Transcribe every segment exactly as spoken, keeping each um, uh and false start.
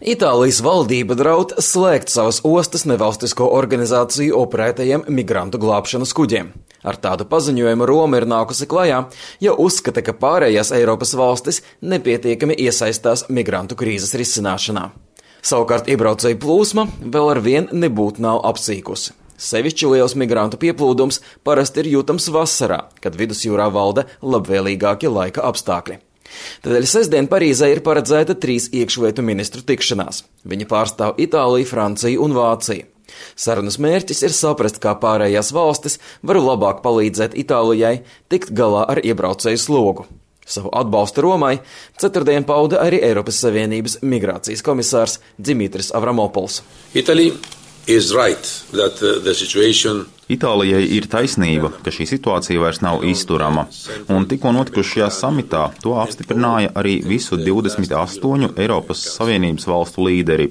Itālijas valdība draud slēgt savas ostas nevalstisko organizāciju operētajiem migrantu glābšanas kuģiem. Ar tādu paziņojumu Roma ir nākusi klajā, jo uzskata, ka pārējās Eiropas valstis nepietiekami iesaistās migrantu krīzes risināšanā. Savukārt iebraucēju plūsma vēl ar vien nebūtu nav apsīkusi. Sevišķi liels migrantu pieplūdums parasti ir jūtams vasarā, kad vidusjūrā valda labvēlīgākie laika apstākļi. Tādēļ sestdien Parīzē ir paredzēta trīs iekšlietu ministru tikšanās. Viņi pārstāv Itāliju, Franciju un Vāciju. Sarunas mērķis ir saprast, kā pārējās valstis var labāk palīdzēt Itālijai tikt galā ar iebraucēju slogu. Savu atbalstu Romai ceturtdien pauda arī Eiropas Savienības migrācijas komisārs Dimitris Avramopols. Italy is right that the situation Itālijai ir taisnība, ka šī situācija vairs nav izturama, un tikko notikušajā samitā to apstiprināja arī visu divdesmit astoņu Eiropas Savienības valstu līderi.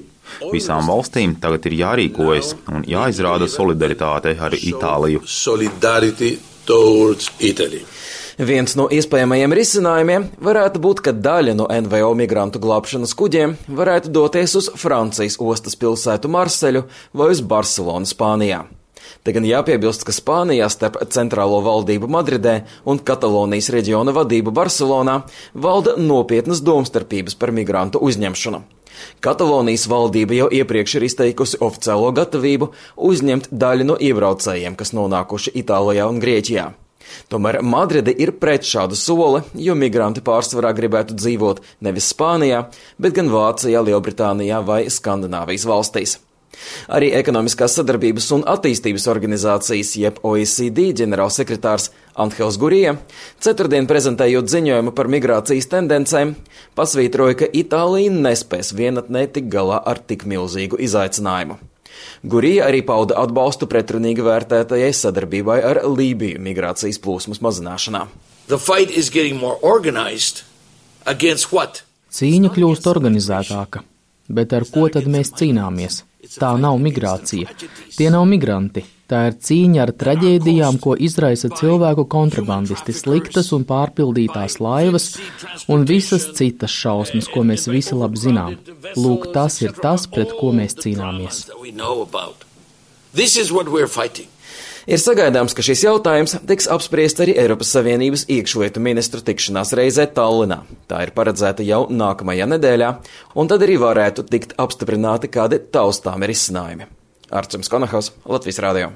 Visām valstīm tagad ir jārīkojas un jāizrāda solidaritāte ar Itāliju. Viens no iespējamajiem risinājumiem varētu būt, ka daļa no N V O migrantu glābšanas kuģiem varētu doties uz Francijas ostas pilsētu Marseļu vai uz Barcelonu, Spānijā. Te gan jāpiebilst, ka Spānijā starp centrālo valdību Madridē un Katalonijas reģiona vadību Barcelonā valda nopietnas domstarpības par migrantu uzņemšanu. Katalonijas valdība jau iepriekš ir izteikusi oficiālo gatavību uzņemt daļu no iebraucējiem, kas nonākuši Itālijā un Grieķijā. Tomēr Madride ir pret šādu soli, jo migranti pārsvarā gribētu dzīvot nevis Spānijā, bet gan Vācijā, Lielbritānijā vai Skandināvijas valstīs. Arī Ekonomiskās sadarbības un attīstības organizācijas, jeb O E C D ģenerālsekretārs Anhels Gurija, ceturtdien prezentējot ziņojumu par migrācijas tendencēm, pasvītroja, ka Itālija nespēs vienatnē tik galā ar tik milzīgu izaicinājumu. Gurija arī pauda atbalstu pretrunīgi vērtētajai sadarbībai ar Lībiju migrācijas plūsmas mazināšanā. Cīņa kļūst organizētāka, bet ar ko tad mēs cīnāmies? Tā nav migrācija, tie nav migranti, tā ir cīņa ar traģēdijām, ko izraisa cilvēku kontrabandisti, sliktas un pārpildītās laivas un visas citas šausmas, ko mēs visi labi zinām. Lūk, tas ir tas, pret ko mēs cīnāmies. Ir sagaidāms, ka šis jautājums tiks apspriests arī Eiropas Savienības iekšlietu ministru tikšanās reizē Tallinā. Tā ir paredzēta jau nākamajā nedēļā, un tad arī varētu tikt apstiprināti kādi taustāmi risinājumi. Arčuns Konahos, Latvijas radio.